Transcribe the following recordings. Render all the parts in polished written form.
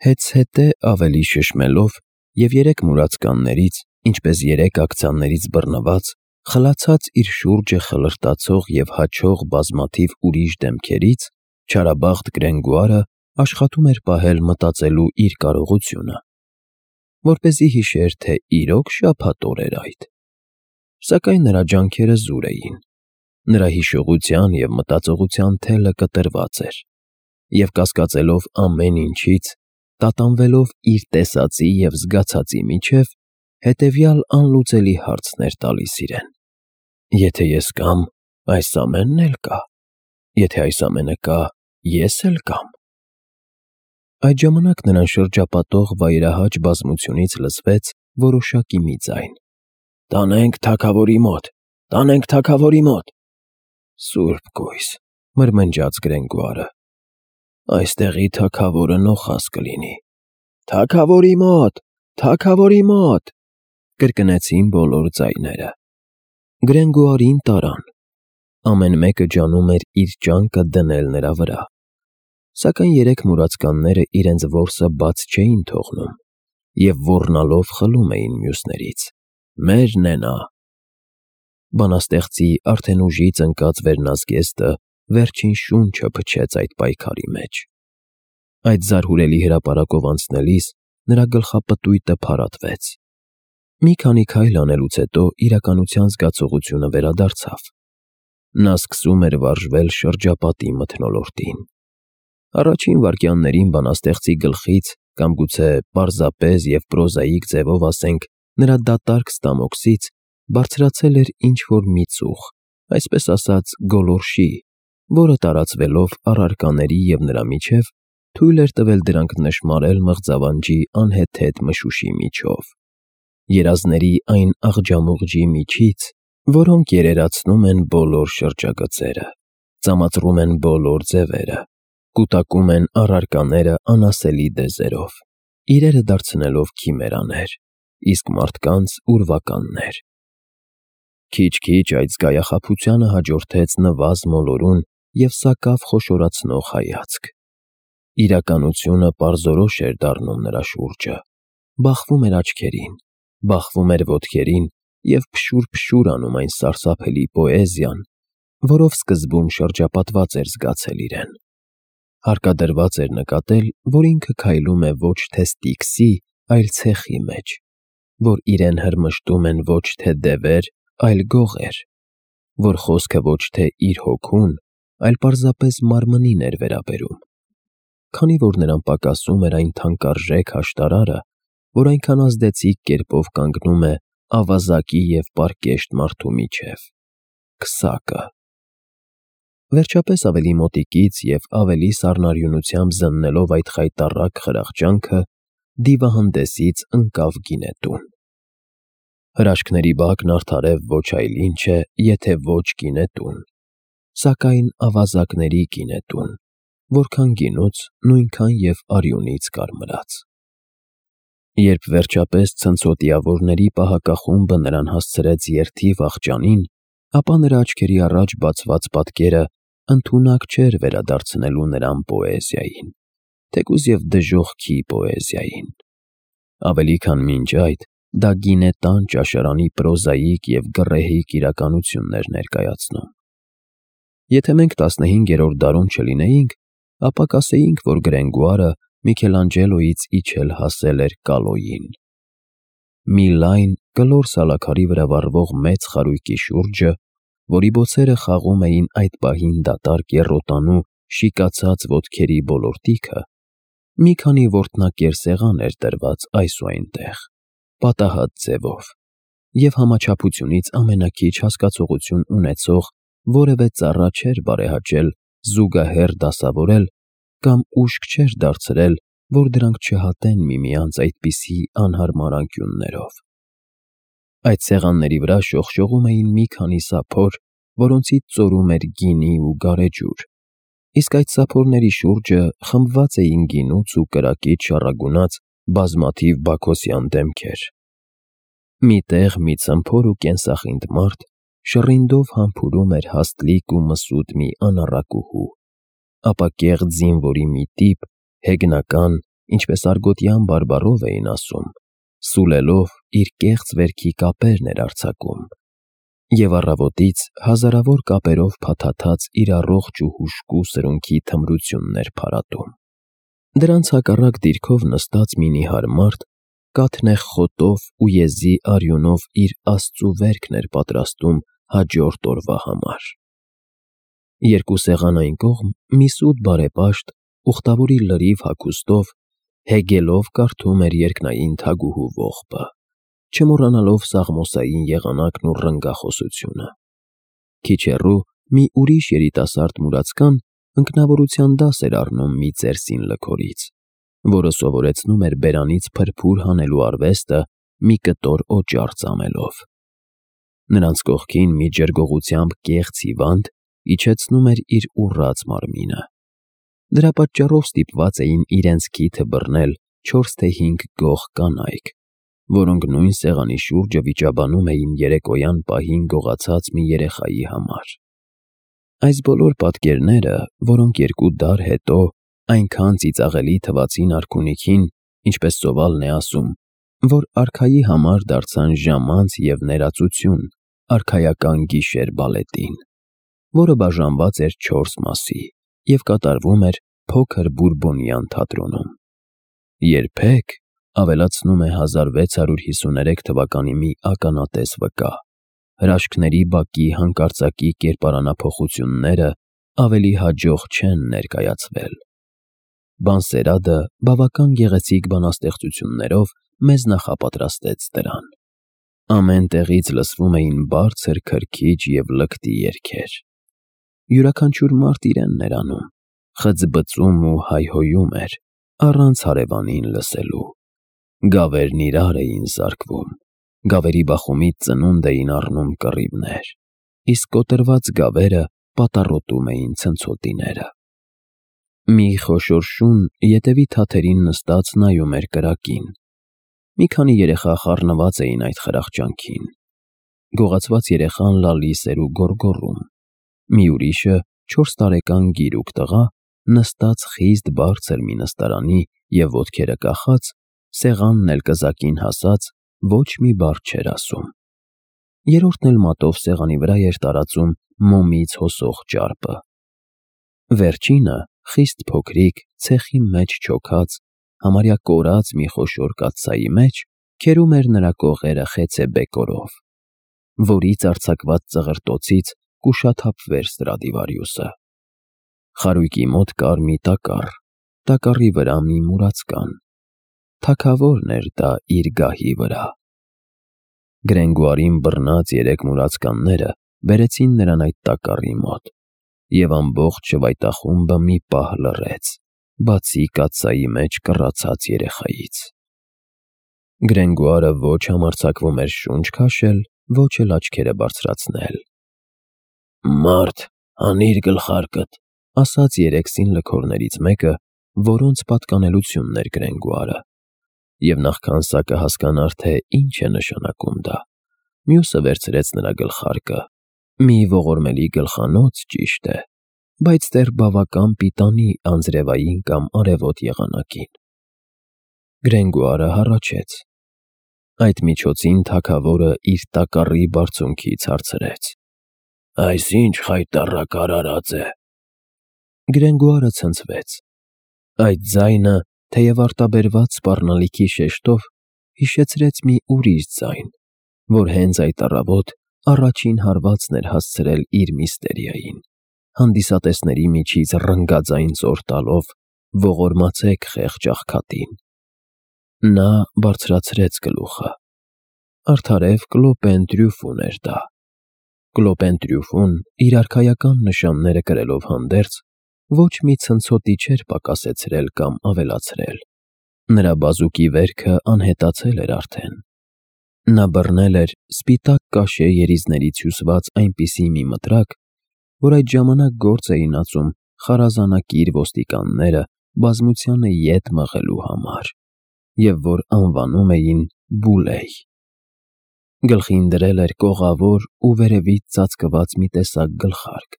Հետզհետե ավելի շշմելով և 3 մուրացկաններից, ինչպես 3 ակցիաներից բռնված, խլացած իր շուրջը խլրտացող և հաչող բազմաթիվ ուրիշ դեմքերից, չարաբախտ Գրենգոյարը աշխատում էր պահել մտածելու իր կարողությունը, որպեսզի հիշեր, թե իրոք շաբաթ օր էր այդ։ Սակայն նրա ջանքերը զուր էին, նրա հիշողության և մտածողության թելը կտրված էր, և կասկածելով ամեն ինչից, տատանվելով իր տեսածի և զգացածի միջև, հետևյալ անլուծելի հարցն էր տալիս իրեն. «Եթե ես կամ, այս ամենն էլ կա, եթե այս ամենը կա, ես էլ կամ»։ Այդ ժամանակ նրան շրջապատող վայրահաճ բազմությունից լսվեց որոշակի մի ձայն. «Տանենք թագավորի մոտ, տանենք թագավորի մոտ»։ «Սուրբ կույս», մրմնջաց Գրենգոյարը, «այստեղի թագավորը նոխազ կլինի»։ «Թագավորի մոտ, թագավորի մոտ», կրկնեցին բոլոր ձայները։ Գրենգոյարին տարան։ Ամեն մեկը ջանում էր իր ճանկը դնել նրա վրա, սակայն 3 մուրացկանները իրենց որսը բաց չէին թողնում և ոռնալով խլում էին մյուսներից. «Մերն է նա»։ Բանաստեղծի արդեն ուժից ընկած վերնազգեստը վերջին շունչը փչեց այդ պայքարի մեջ։ Այդ զարհուրելի հրապարակով անցնելիս նրա գլխապտույտը փարատվեց։ Մի քանի քայլ անելուց հետո իրականության զգացողությունը վերադարձավ։ Նա սկսում էր վարժվել շրջապատի մթնոլորտին։ Առաջին վայրկյաններին բանաստեղծի գլխից, կամ գուցե պարզապես և պրոզաիկ ձևով ասենք, նրա դատարկ ստամոքսից բարձրացել էր ինչ-որ մի ծուխ, այսպես ասած գոլորշի, որը տարածվելով առարկաների և նրա միջև, թույլ էր տվել դրանք նշմարել մղձավանջի անհեթեթ մշուշի միջով, երազների այն աղջամուղջի միջից, որոնք երերացնում են բոլոր շրջագծերը, ծամածռում են բոլոր ձևերը, կուտակում են առարկաները անասելի դեզերով, իրերը դարձնելով քիմերաներ, իսկ մարդկանց ուրվականներ։ Քիչ-քիչ այդ զգայախաբությանը հաջորդեց նվազ մոլորուն և սակավ խոշորացնող հայացք։ Իրականությունը պարզորոշ էր դառնում նրա շուրջը, բախվում էր աչքերին, բախվում էր ոտքերին և փշուր-փշուր անում այն սարսափելի պոեզիան, որով սկզբում շրջապատված էր զգացել իրեն։ Հարկադրված էր նկատել, որ ինքը քայլում է ոչ թե Ստիքսի, այլ ցեխի մեջ, որ իրեն հրմշտում են ոչ թե դևեր, այլ գողեր, որ խոսքը ոչ թե իր հոգուն, այլ պարզապես մարմնին էր վերաբերում։ Քանի որ նրան պակասում էր այն թանկարժեք աշտարարը, որ այնքան ազդեցիկ կերպով կանգնում է ավազակի և պարկեշտ մարդու միջև՝ քսակը։ Վերջապես ավելի մոտիկից և ավելի սառնարյունությամբ զննելով այդ խայտառակ խրախճանքը, դիվահանդեսից ընկավ գինետուն։ Հրաշքների բակն արդարև ոչ այլ ինչ է, եթե ոչ գինետուն, սակայն ավազակների գինետուն, որքան գինուց, նույնքան և արյունից կարմրած։ Երբ վերջապես ցնցոտիավորների պահակախումբը նրան հասցրեց երթի վախճանին, ապա նրա աչքերի առաջ բացված պատկերը ընդունակ չէր վերադարձնելու նրան պոեզիային, թեկուզ և դժոխքի պոեզիային։ Ավելի քան մինչ այդ, դա գինետան ճաշարանի պրոզաիկ և գռեհիկ իրականությունն էր ներկայացնում։ Եթե մենք 15-րդ դարում չլինեինք, ապա կասեինք, որ Գրենգոյարը Միքելանջելոյից իջել հասել էր Կալոյին։ Մի լայն, կլոր սալաքարի վրա վառվող մեծ խարույկի շուրջը, որի բոցերը խաղում էին այդ պահին դատարկ եռոտանու շիկացած ոտքերի ոլորտիքը, մի քանի որտնակեր սեղան էր դրված այս ու այնտեղ, պատահած ձևով, և համաչափությունից ամենաքիչ հասկացողություն ունեցող որևէ ծառա չէր բարեհաճել զուգահեռ դասավորել կամ ուշք չէր դարձրել, որ դրանք չհատեն միմյանց այդպիսի անհարմար անկյուններով։ Այդ սեղանների վրա շողշողում էին մի քանի սափոր, որոնցից ծորում էր գինի ու գարեջուր, իսկ այդ սափորների շուրջը խմբված էին գինուց ու կրակից շառագունած բազմաթիվ բաքոսյան դեմքեր։ Մի տեղ մի ցմփոր ու կենսախինդ մարդ շռինդով համբուրում էր հաստլիկ ու մսուտ մի անառակուհու, ապա կեղտ զինվորի մի տիպ հեգնական, ինչպես արգոտյան բարբառով էին ասում, սուլելով իր կեղծ վերքի կապերն էր արձակում, և առավոտից հազարավոր կապերով փաթաթած իր առողջ ու հուժկու սրունքի թմրությունն էր փարատում։ Դրանց հակառակ դիրքով նստած մի նիհար մարդ կաթնեղ խոտով ու եզի արյունով իր աստծու վերքն էր պատրաստում հաջորդ օրվա համար։ Երկու սեղան այն կողմ մի սուտ բարեպաշտ ուխտավորի լրիվ հագուստով հեգելով կարդում էր երկնային թագուհու ողբը, չմոռանալով Սաղմոսային եղանակն ու ռնգախոսությունը։ Քիչ հեռու մի ուրիշ երիտասարդ մուրացկան ընկնավորության դաս էր առնում մի ծերսին լքորից, որը սովորեցնում էր բերանից փրփուր հանելու արվեստը մի կտոր օճառ ծամելով։ Նրանց կողքին մի ջրգողությամբ կեղծ հիվանդ իջեցնում էր իր ուռած մարմինը։ Դրա պատճառով ստիպված էին իրենց քիթը բռնել 4 թե 5 գող կանայք, որոնք նույն սեղանի շուրջը վիճաբանում էին երեկոյան պահին գողացած մի երեխայի համար։ Այս բոլոր պատկերները, որոնք 2 դար հետո այնքան ծիծաղելի թվացին արքունիքին, ինչպես ծովալն է ասում, որ արքայի համար դարձան ժամանց և ներածություն արքայական գիշեր բալետին, որը բաժանված էր 4 մասի և կատարվում էր փոքր Բուրբոնյան թատրոնում։ Երբեք, ավելացնում է 1653 թվականի մի ականատես վկա, հրաշքների բակի հանկարծակի կերպարանափոխությունները ավելի հաջող չեն ներկայացվել։ Բանսերադը բավական գեղեցիկ բանաստեղծություններով մեզ նախապատրաստեց դրան։ Ամեն տեղից լսվում էին բարձր քրքիջ և լկտի երգեր։ Յուրաքանչյուր մարդ իրենն էր անում, խձբծում ու հայհոյում էր, առանց հարևանին լսելու։ Գավերն իրար էին զարկվում, գավերի բախումից ծնունդ էին առնում կռիվներ, իսկ կոտրված գավերը պատառոտում էին ցնցոտիները։ Մի խոշոր շուն ետևի թաթերին նստած նայում էր կրակին։ Մի քանի երեխա խառնված էին այդ խրախճանքին։ Գողացված երեխան լալիս էր ու գոռգոռում։ Մի ուրիշը 4 տարեկան գիրուկ տղա նստած խիստ բարձր մի նստարանի և ոտքերը կախած, սեղանն էլ կզակին հասած, ոչ մի բառ չէր ասում։ Երրորդն էլ մատով սեղանի վրա էր տարածում մոմից հոսող ճարպը։ Վերջինը, խիստ փոքրիկ, ցեխի մեջ չոքած, համարյա կորած մի խոշոր կաթսայի մեջ, քերում էր նրա կողերը խեցե բեկորով, որից արձակված ծղրտոցից կուշաթափվեր Ստրադիվարիուսը։ Խարույկի մոտ կար մի տակառ, տակառի վրա մի մուրացկան։ Թագավորն էր դա իր գահի վրա։ Գրենգուարին բռնած 3 մուրացկանները բերեցին նրան այդ տակառի մոտ, և ամբողջ շվայտախումբը մի պահ լռեց, բացի կաթսայի մեջ կռացած երեխայից։ Գրենգուարը ոչ համարձակվում էր շունչ քաշել, ոչ էլ աչքերը բարձրացնել։ «Մարդ, հանիր գլխարկդ», ասաց 3 սին լքորներից մեկը, որոնց պատկանելությունն էր Գրենգուարը, և նախքան սա կհասկանար, թե ինչ է նշանակում դա, մյուսը վերցրեց նրա գլխարկը, մի ողորմելի գլխանոց, ճիշտ է, բայց դեռ բավական պիտանի անձրևային կամ արևոտ եղանակին։ Գրենգուարը հառաչեց։ Այդ միջոցին թագավորը իր տակառի բարձունքից հարցրեց. «Այս ինչ խայտառակ արարած է»։ Գրենգուարը ցնցվեց։ Այդ ձայնը, թեև արտաբերված սպառնալիքի շեշտով, հիշեցրեց մի ուրիշ ձայն, որ հենց այդ առավոտ առաջին հարվածն էր հասցրել իր միստերիային, հանդիսատեսների միջից ռնգաձայն ծոր տալով. «Ողորմացեք խեղճ աղքատին»։ Նա բարձրացրեց գլուխը։ Արդարև Կլոպեն Տրյուֆուն էր դա։ Կլոպեն Տրյուֆուն, իր արքայական նշանները կրելով հանդերձ, ոչ մի ցնցոտի չէր պակասեցրել կամ ավելացրել։ Նրա բազուկի վերքը անհետացել էր արդեն։ Նա բռնել էր սպիտակ կաշե երիզներից հյուսված այնպիսի մի մտրակ, որ այդ ժամանակ գործ էին ածում խարազանակիր ոստիկանները բազմությանը ետ մղելու համար, և որ անվանում էին Բուլեյ։ Գլխին դրել էր կողավոր ու վերևից ծածկված մի տեսակ գլխարկ։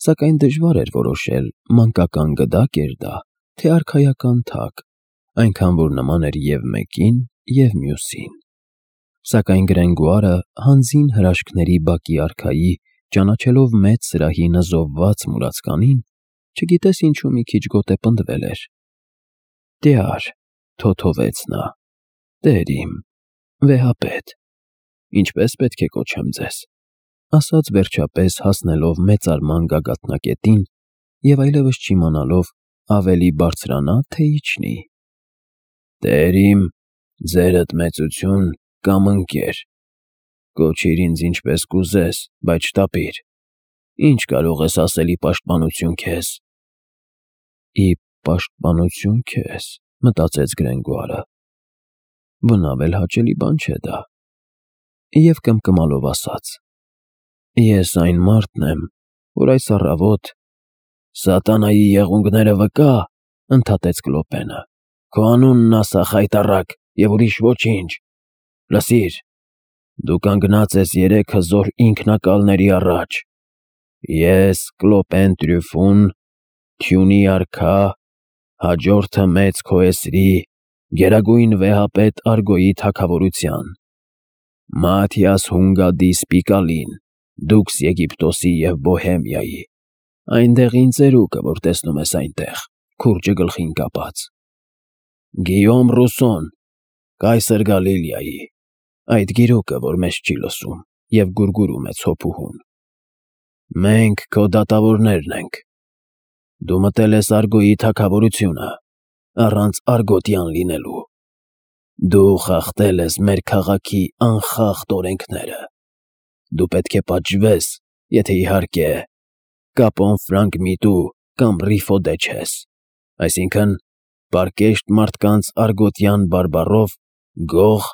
Սակայն դժվար էր որոշել՝ մանկական գդա՞կ էր դա, թե արքայական թագ, այնքան որ նման էր և մեկին, և մյուսին։ Սակայն Գրենգոարը հանձին հրաշքների բակի արքայի, ճանաչելով մեծ սրահի նզովված մուրացկանին, չգիտես ինչու մի քիչ գոտե պնդվել էր։ «Տյար», թոթովեց նա, «տեր իմ, վեհապետ, ինչպե՞ս պետք է կոչեմ ձեզ», ասաց վերջապես հասնելով մեծարման գագաթնակետին և այլևս չիմանալով ավելի բարձրանա, թե իջնի։ «Տեր իմ, ձերդ մեծություն կամ ընկեր, կոչիր ինձ ինչպես կուզես, բայց չտապիր, ինչ կարող ես ասել ի պաշտպանություն քեզ»։ «Ի պաշտպանություն քեզ», մտածեց Գրենգոարը, բնավ էլ հաճելի բան չէ դա, և կմկմալով ասաց. «Ես այն մարդն եմ, որ այս առավոտ…» «Սատանայի եղունգները վկա», ընդհատեց Կլոպենը, «քո անունն ասա խայտառակ և ուրիշ ոչինչ։ Լսիր, դու կանգնած ես 3 հզոր ինքնակալների առաջ. ես Կլոպեն Տրյուֆուն, թյունի արքա, հաջորդը մեծ քոեսրի, գերագույն վեհապետ Արգոյի թագավորության, Մաթիաս Հունգադի Սպիկալին, դուքս Եգիպտոսի և Բոհեմիայի, այնտեղին ծերուկը, որ տեսնում ես այնտեղ, քուրջը գլխին կապած, Գիյոմ Ռուսոն, կայսր Գալիլեայի, այդ գիրուկը, որ մեզ չի լսում և գուրգուրում է ցոփուհուն։ Մենք քո դատավորներն ենք։ Դու մտել ես Արգոյի թագավորությունը, առանց արգոտյան լինելու։ Դու խախտել ես մեր քաղաքի անխախտ օրենքները։ Դու պետք է պատժվես, եթե իհարկե կապոն ֆրանկ միտու կամ ռիֆոդե չես, այսինքն՝ պարկեշտ մարդկանց արգոտյան բարբառով գող,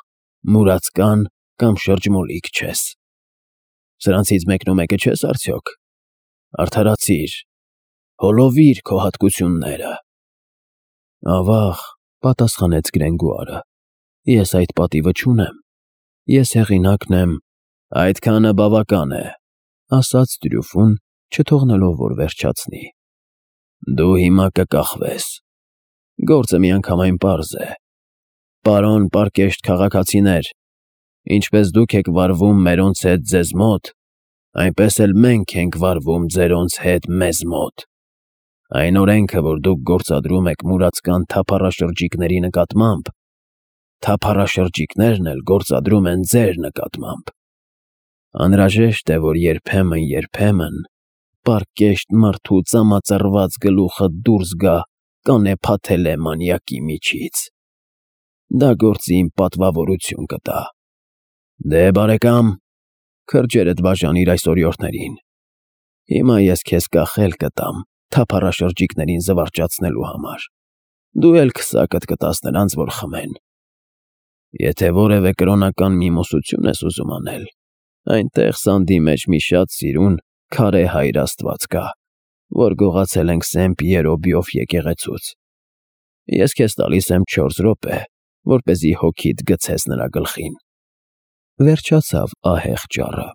մուրացկան կամ շրջմոլիկ չես։ Սրանցից մեկնումեկը չես արդյոք։ Արդարացիր, հոլովիր քո հատկությունները։ Ավաղ, պատասխանեց Գրենգոարը, ես այդ պատիվը չունեմ, ես հեղինակն եմ։ Այդքանը բավական է, ասաց Տրյուֆուն, չթողնելով որ վերջացնի։ Դու հիմա կկախվես։ Գործը միանգամայն պարզ է։ Պարոն պարկեշտ քաղաքացիներ, ինչպես դուք եք վարվում մերոնց հետ ձեզ մոտ, այնպես էլ մենք ենք վարվում ձերոնց հետ մեզ մոտ։ Այն օրենքը, որ դուք գործադրում եք մուրացկան թափառաշրջիկների նկատմամբ, թափառաշրջիկներն էլ գործադրում են ձեր նկատմամբ։ Անհրաժեշտ է, որ երբեմն պարկեշտ մարդու ծամածռված գլուխը դուրս գա կանեփաթելե մանյակի միջից։ Դա գործի իմ պատվավորություն կտա։ Դե բարեկամ, քրջերդ բաժանիր այս օրիորդներին։ Հիմա ես քեզ կախել կտամ թափառաշրջիկներին զվարճացնելու համար։ Դու էլ քսակդ կտաս նրանց, որ խմեն։ Եթե որևէ կրոնական միմոսություն ես ուզում անել, այնտեղ սանդի մեջ մի շատ սիրուն քարե հայր աստված կա, որ գողացել ենք Սեն Պիերո եկեղեցուց։ Ես քեզ տալիս եմ 4 րոպե, որպեսզի հոգիդ գցես նրա գլխին։ Վերջացավ ահեղ ճառը։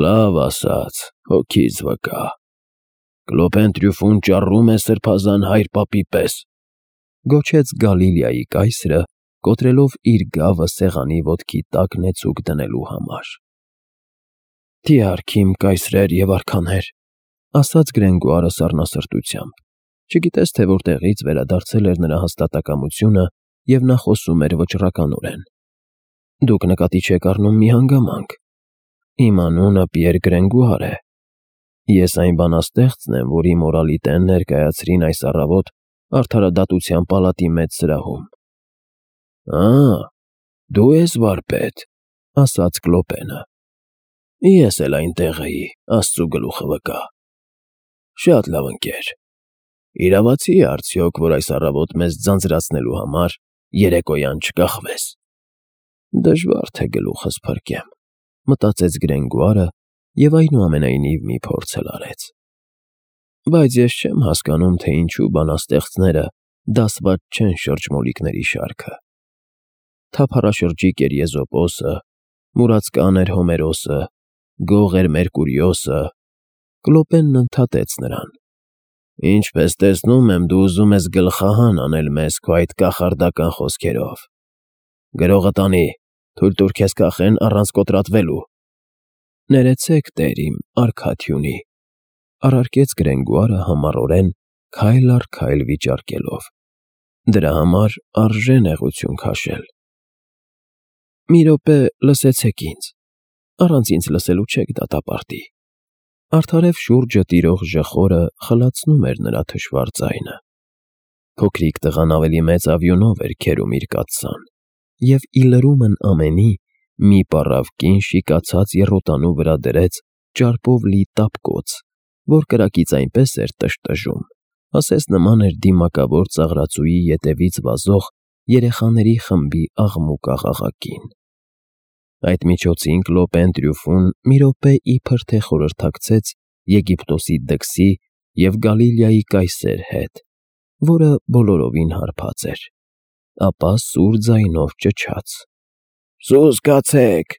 Լավ ասաց, հոգիս վկա։ Կլոպեն Տրյուֆուն ճառում է սրբազան հայր պապի պես, գոչեց Գալիլեայի կայսրը, կոտրելով իր գավը սեղանի ոտքի տակ նեցուկ դնելու համար։ Տյարք իմ կայսրեր և արքաներ, ասաց Գրենգոարը սառնասրտությամբ, չգիտես թե որտեղից վերադարձել էր նրա հաստատակամությունը և նա խոսում էր վճռականորեն։ Դուք նկատի չեք առնում մի հանգամանք։ Իմ անունը Պիեր Գրենգոար է։ Ես այն բանաստեղծն եմ, որի մորալիտեն ներկայացրին այս առավոտ Արդարադատության պալատի մեծ սրահում։ Դու ես վարպետ, ասաց Կլոպենը։ Ես էլ այնտեղ էի, Աստծու գլուխը վկա։ Շատ լավ ընկեր։ Իրավացի է արդյոք, որ այս առավոտ մեզ ձանձրացնելու համար երեկոյան չկախվես։ Դժվար թե գլուխս փրկեմ, մտածեց Գրենգոարը և այնուամենայնիվ մի փորձ էլ արեց։ Բայց ես չեմ հասկանում, թե ինչու բանաստեղծները դասված չեն շրջմոլիկների շարքը։ Թափառաշրջիկ էր Եզոպոսը, մուրացկան էր Հոմերոսը, գող էր Մերկուրիոսը։ Կլոպենն ընդհատեց նրան։ Ինչպես տեսնում եմ, դու ուզում ես գլխահան անել մեզ քո այդ կախարդական խոսքերով։ Գրողը տանի, թույլ տուր քեզ կախեն առանց կոտրատվելու։ Ներեցեք, տեր իմ, արքաթյունի, առարկեց Գրենգուարը համառորեն, քայլ առ քայլ վիճարկելով։ Դրա համար արժե նեղություն քաշել։ Մի րոպե լսեցեք ինձ, առանց ինձ լսելու չեք դատապարտի։ Արդարև շուրջը տիրող ժխորը խլացնում էր նրա թշվառ ձայնը։ Փոքրիկ տղան ավելի մեծ ավյունով էր քերում իր կաթսան, և ի լրումն ամենի մի պառավ կին շիկացած եռոտանու վրա դրեց ճարպով լի տապկոց, որ կրակից այնպես էր տրժտժում, ասես նման էր դիմակավոր ծաղրածուի ետևից վազող երեխաների խմբի աղմուկ-աղաղակին։ Այդ միջոցին Կլոպեն Տրյուֆուն մի րոպե իբր թե խորհրդակցեց Եգիպտոսի դքսի և Գալիլեայի կայսեր հետ, որը բոլորովին հարբած էր, ապա սուր ձայնով ճչաց. «Սուս կացեք»։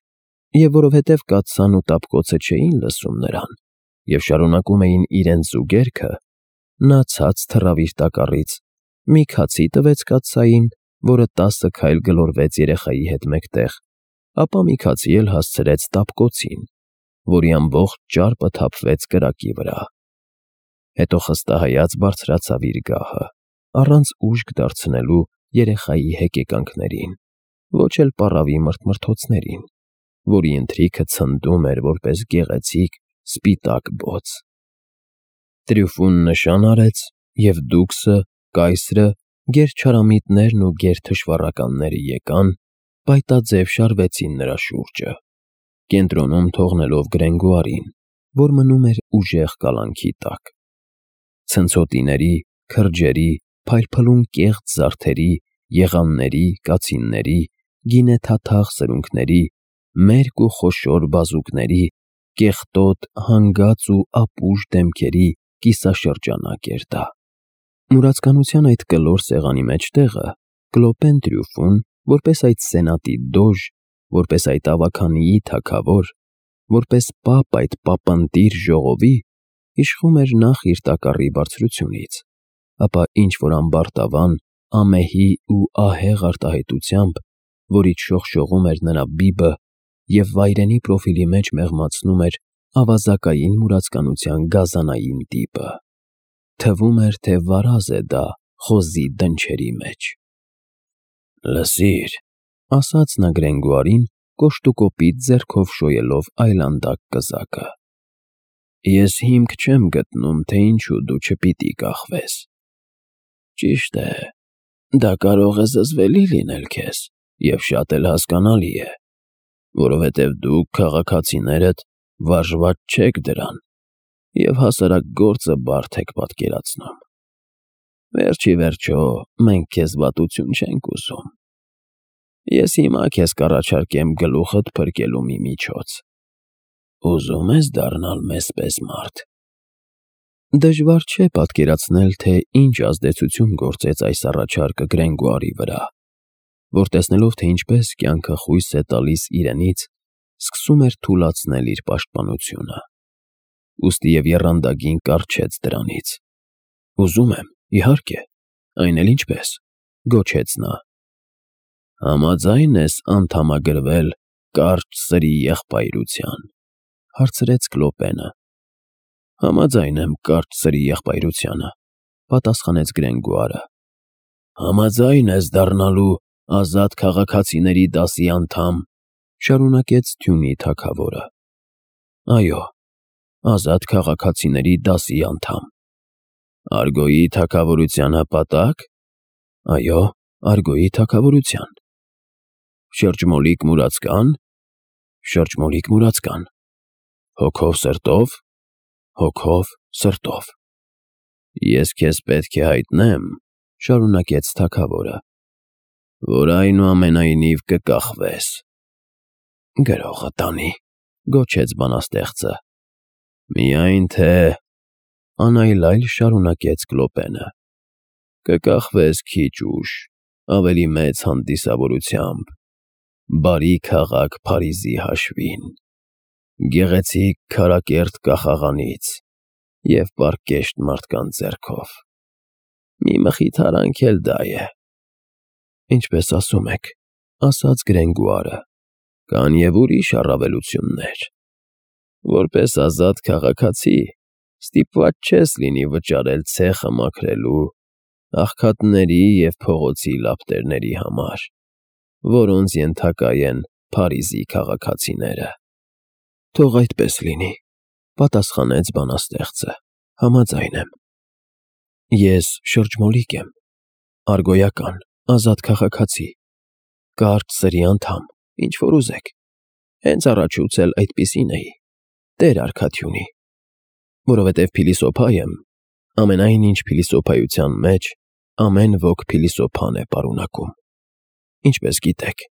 Եվ որովհետև կաթսան ու տապկոցը չէին լսում նրան և շարունակում էին իրենց զուգերքը, նա ցած թռավ իր տակառից, մի քացի տվեց կաթսային, որը 10 քայլ գլորվեց երեխայի հետ մեկտեղ, ապա մի քացի էլ հասցրեց տապկոցին, որի ամբողջ ճարպը թափվեց կրակի վրա։ Հետո խստահայաց բարձրացավ իր գահը, առանց ուժգ դարձնելու երեխայի հեկեկանքներին, ոչ էլ պառավի մրթմրթոցներին, որի ընթրիքը ցնդում էր որպես գեղեցիկ սպիտակ բոց։ Տրյուֆուն նշան արեց, և դուքսը, կայսրը, գերչարամիտներն ու գերթշվառականները եկան, պայտաձև շարվեցին նրա շուրջը, կենտրոնում թողնելով Գրենգուարին, որ մնում էր ուժեղ կալանքի տակ։ Ցնցոտիների, քրջերի, փայլփլուն կեղծ զարդերի, եղանների, կացինների, գինեթաթախ սրունքների, մերկ ու խոշոր բազուկների, կեղտոտ, հանգած ու ապուշ դեմքերի կիսաշրջանակ էր դա։ Մուրացկանության այդ կլոր սեղանի մեջտեղը Կլոպեն Տրյուֆուն, որպես այդ սենատի դոժ, որպես այդ ավագանիի թագավոր, որպես պապ այդ պապընտիր ժողովի, իշխում էր նախ իր տակառի բարձրությունից, ապա ինչ-որ ամբարտավան, ամեհի ու ահեղ արտահայտությամբ, որից շողշողում էր նրա բիբը և վայրենի պրոֆիլի մեջ մեղմացնում էր ավազակային մուրացկանության գազանային տիպը։ Թվում էր, թե վարազ է դա խոզի դնչերի մեջ։ «Լսիր», ասաց նա Գրենգուարին, կոշտուկոպիտ ձեռքով շոյելով այլանդակ կզակը, «ես հիմք չեմ գտնում, թե ինչու դու չպիտի կախվես։ Ճիշտ է, դա կարող է զզվելի լինել քեզ և շատ էլ հասկանալի է, որովհետև դուք, քաղաքացիներդ, վարժված չեք դրան և հասարակ գործը բարդ եք պատկերացնում։ Վերջ ի վերջո, մենք քեզ վատություն չենք ուզում։ Ես հիմա քեզ կառաջարկեմ գլուխդ փրկելու մի միջոց։ Ուզում ես դառնալ մեզ պես մարդ»։ Դժվար չէ պատկերացնել, թե ինչ ազդեցություն գործեց այս առաջարկը Գրենգուարի վրա, որ տեսնելով, թե ինչպես կյանքը խույս է տալիս իրենից, սկսում էր թուլացնել իր պաշտպանությունը։ Ուստի եռանդագին կառչեց դրանից։ «Ուզում եմ, իհարկե, այն էլ ինչպես», գոչեց նա։ «Համաձա՞յն ես անդամագրվել կարճ սրի եղբայրության», հարցրեց Կլոպենը։ «Համաձայն եմ կարճ սրի եղբայրությանը», պատասխանեց Գրենգուարը։ «Համաձայն ես դառնալու ազատ քաղաքացիների դասի անդամ», շարունակեց թյունի թագավորը։ «Այո, ազատ քաղաքացիների դասի անդամ»։ «Արգոյի թագավորության հպատա՞կ»։ «Այո, Արգոյի թագավորության»։ «Շրջմոլիկ մուրացկա՞ն»։ «Շրջմոլիկ մուրացկան»։ «Հոգով սրտո՞վ»։ «Հոգով սրտով»։ «Ես քեզ պետք է հայտնեմ», շարունակեց թագավորը, «որ այնուամենայնիվ կկախվես»։ «Գրողը տանի», գոչեց բանաստեղծը։ «Միայն թե», անայլայլ շարունակեց Կլոպենը, «կկախվես քիչ ուշ, ավելի մեծ հանդիսավորությամբ, բարի քաղաք Փարիզի հաշվին, գեղեցիկ քարակերտ կախաղանից և պարկեշտ մարդկանց ձեռքով։ Մի մխիթարանք էլ դա է։ Ինչպես ասում եք, ասաց Գրենգուարը, կան և ուրիշ առավելություններ։ Որպես ազատ քաղաքացի ստիպված չես լինի վճարել ցեխը մաքրելու, աղքատների և փողոցի լապտերների համար, որոնց ենթակա են Փարիզի քաղաքացիները։ Թող այդպես լինի, պատասխանեց բանաստեղծը, համաձայն եմ։ Ես շրջմոլիկ եմ, արգոյական, ազատ քաղաքացի, կարճ սրի անդամ, ինչ որ ուզեք, հենց առաջուց էլ այդպիսին էի, Տեր Արքադյունի, որովհետև փիլիսոփա եմ, ամենայն ինչ փիլիսոփայության մեջ ամեն ոք փիլիսոփան է պարունակում, ինչպես գիտեք։